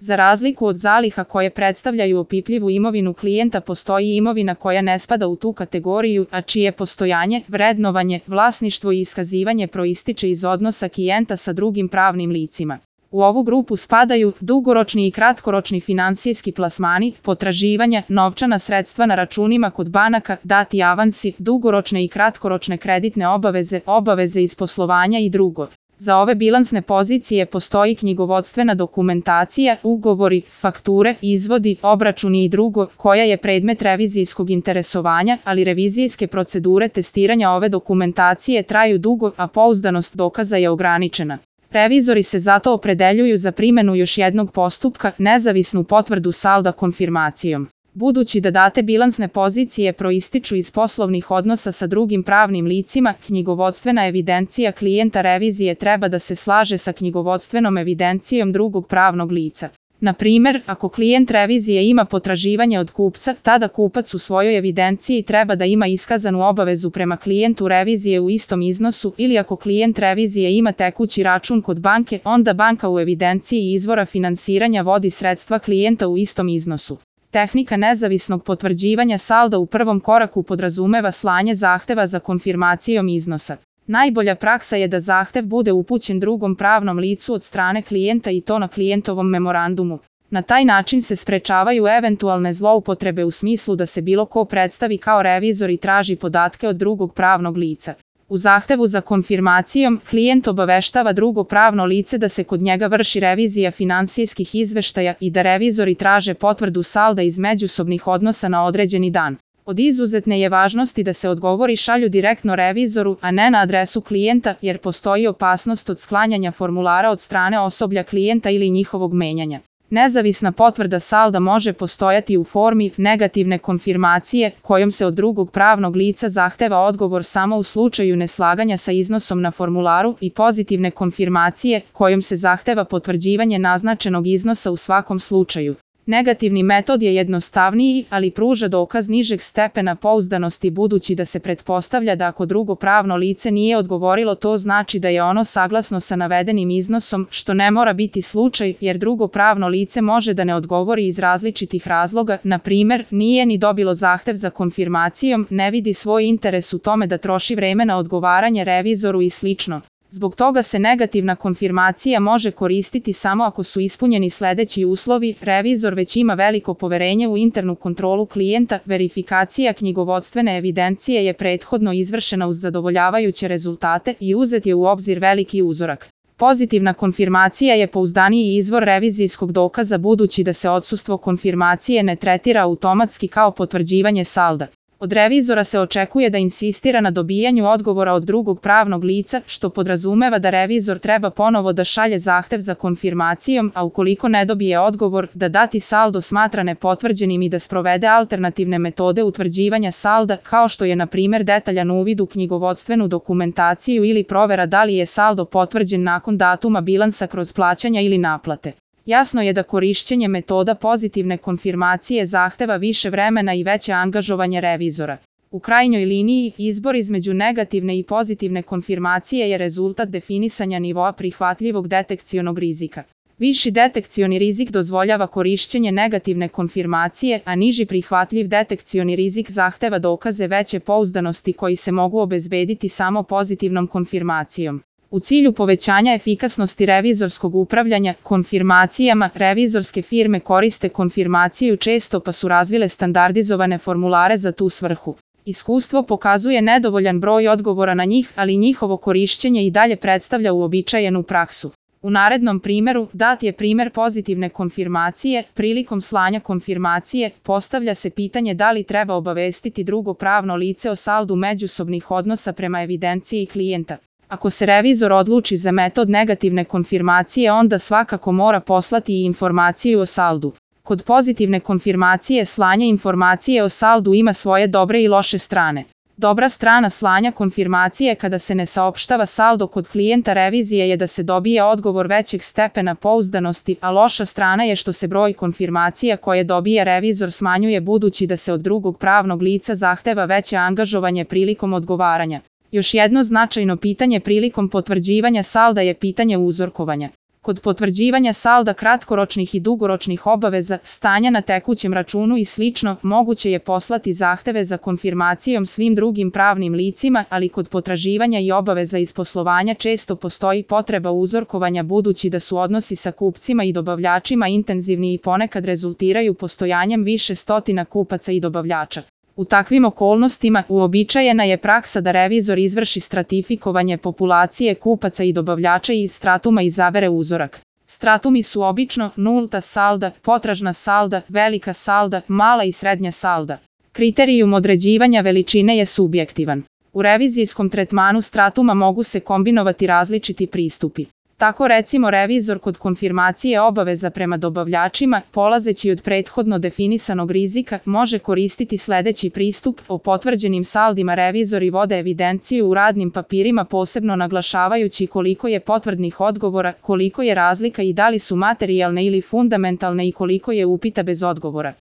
Za razliku od zaliha koje predstavljaju opipljivu imovinu klijenta, postoji imovina koja ne spada u tu kategoriju, a čije postojanje, vrednovanje, vlasništvo i iskazivanje proističe iz odnosa klijenta sa drugim pravnim licima. U ovu grupu spadaju dugoročni i kratkoročni finansijski plasmani, potraživanja, novčana sredstva na računima kod banaka, dati avansi, dugoročne i kratkoročne kreditne obaveze, obaveze iz poslovanja i drugo. Za ove bilansne pozicije postoji knjigovodstvena dokumentacija, ugovori, fakture, izvodi, obračuni i drugo, koja je predmet revizijskog interesovanja, ali revizijske procedure testiranja ove dokumentacije traju dugo, a pouzdanost dokaza je ograničena. Revizori se zato opredeljuju za primjenu još jednog postupka, nezavisnu potvrdu salda konfirmacijom. Budući da date bilansne pozicije proističu iz poslovnih odnosa sa drugim pravnim licima, knjigovodstvena evidencija klijenta revizije treba da se slaže sa knjigovodstvenom evidencijom drugog pravnog lica. Na primjer, ako klijent revizije ima potraživanje od kupca, tada kupac u svojoj evidenciji treba da ima iskazanu obavezu prema klijentu revizije u istom iznosu, ili ako klijent revizije ima tekući račun kod banke, onda banka u evidenciji izvora finansiranja vodi sredstva klijenta u istom iznosu. Tehnika nezavisnog potvrđivanja salda u prvom koraku podrazumeva slanje zahteva za konfirmacijom iznosa. Najbolja praksa je da zahtev bude upućen drugom pravnom licu od strane klijenta i to na klijentovom memorandumu. Na taj način se sprečavaju eventualne zloupotrebe u smislu da se bilo ko predstavi kao revizor i traži podatke od drugog pravnog lica. U zahtevu za konfirmacijom, klijent obaveštava drugo pravno lice da se kod njega vrši revizija finansijskih izveštaja i da revizori traže potvrdu salda iz međusobnih odnosa na određeni dan. Od izuzetne je važnosti da se odgovori šalju direktno revizoru, a ne na adresu klijenta, jer postoji opasnost od sklanjanja formulara od strane osoblja klijenta ili njihovog menjanja. Nezavisna potvrda salda može postojati u formi negativne konfirmacije, kojom se od drugog pravnog lica zahteva odgovor samo u slučaju neslaganja sa iznosom na formularu, i pozitivne konfirmacije, kojom se zahteva potvrđivanje naznačenog iznosa u svakom slučaju. Negativni metod je jednostavniji, ali pruža dokaz nižeg stepena pouzdanosti budući da se pretpostavlja da ako drugo pravno lice nije odgovorilo, to znači da je ono saglasno sa navedenim iznosom, što ne mora biti slučaj, jer drugo pravno lice može da ne odgovori iz različitih razloga, na primjer, nije ni dobilo zahtev za konfirmacijom, ne vidi svoj interes u tome da troši vreme na odgovaranje revizoru i slično. Zbog toga se negativna konfirmacija može koristiti samo ako su ispunjeni sledeći uslovi: revizor već ima veliko poverenje u internu kontrolu klijenta, verifikacija knjigovodstvene evidencije je prethodno izvršena uz zadovoljavajuće rezultate i uzet je u obzir veliki uzorak. Pozitivna konfirmacija je pouzdaniji izvor revizijskog dokaza budući da se odsustvo konfirmacije ne tretira automatski kao potvrđivanje salda. Od revizora se očekuje da insistira na dobijanju odgovora od drugog pravnog lica, što podrazumeva da revizor treba ponovo da šalje zahtev za konfirmacijom, a ukoliko ne dobije odgovor, da dati saldo smatra nepotvrđenim i da sprovede alternativne metode utvrđivanja salda, kao što je na primjer detaljan uvid u knjigovodstvenu dokumentaciju ili provera da li je saldo potvrđen nakon datuma bilansa kroz plaćanja ili naplate. Jasno je da korišćenje metoda pozitivne konfirmacije zahteva više vremena i veće angažovanje revizora. U krajnjoj liniji, izbor između negativne i pozitivne konfirmacije je rezultat definisanja nivoa prihvatljivog detekcionog rizika. Viši detekcioni rizik dozvoljava korišćenje negativne konfirmacije, a niži prihvatljiv detekcioni rizik zahteva dokaze veće pouzdanosti koji se mogu obezbediti samo pozitivnom konfirmacijom. U cilju povećanja efikasnosti revizorskog upravljanja konfirmacijama, revizorske firme koriste konfirmaciju često pa su razvile standardizovane formulare za tu svrhu. Iskustvo pokazuje nedovoljan broj odgovora na njih, ali njihovo korišćenje i dalje predstavlja uobičajenu praksu. U narednom primjeru dat je primjer pozitivne konfirmacije. Prilikom slanja konfirmacije postavlja se pitanje da li treba obavestiti drugo pravno lice o saldu međusobnih odnosa prema evidenciji klijenta. Ako se revizor odluči za metod negativne konfirmacije, onda svakako mora poslati i informaciju o saldu. Kod pozitivne konfirmacije slanje informacije o saldu ima svoje dobre i loše strane. Dobra strana slanja konfirmacije kada se ne saopštava saldo kod klijenta revizije je da se dobije odgovor većeg stepena pouzdanosti, a loša strana je što se broj konfirmacija koje dobije revizor smanjuje budući da se od drugog pravnog lica zahteva veće angažovanje prilikom odgovaranja. Još jedno značajno pitanje prilikom potvrđivanja salda je pitanje uzorkovanja. Kod potvrđivanja salda kratkoročnih i dugoročnih obaveza, stanja na tekućem računu i sl. moguće je poslati zahteve za konfirmacijom svim drugim pravnim licima, ali kod potraživanja i obaveza iz poslovanja često postoji potreba uzorkovanja budući da su odnosi sa kupcima i dobavljačima intenzivni i ponekad rezultiraju postojanjem više stotina kupaca i dobavljača. U takvim okolnostima uobičajena je praksa da revizor izvrši stratifikovanje populacije kupaca i dobavljača i iz stratuma izabere uzorak. Stratumi su obično nulta salda, potražna salda, velika salda, mala i srednja salda. Kriterijum određivanja veličine je subjektivan. U revizijskom tretmanu stratuma mogu se kombinovati različiti pristupi. Tako recimo revizor kod konfirmacije obaveza prema dobavljačima, polazeći od prethodno definisanog rizika, može koristiti sledeći pristup. O potvrđenim saldima revizori vode evidenciju u radnim papirima, posebno naglašavajući koliko je potvrdnih odgovora, koliko je razlika i da li su materijalne ili fundamentalne i koliko je upita bez odgovora.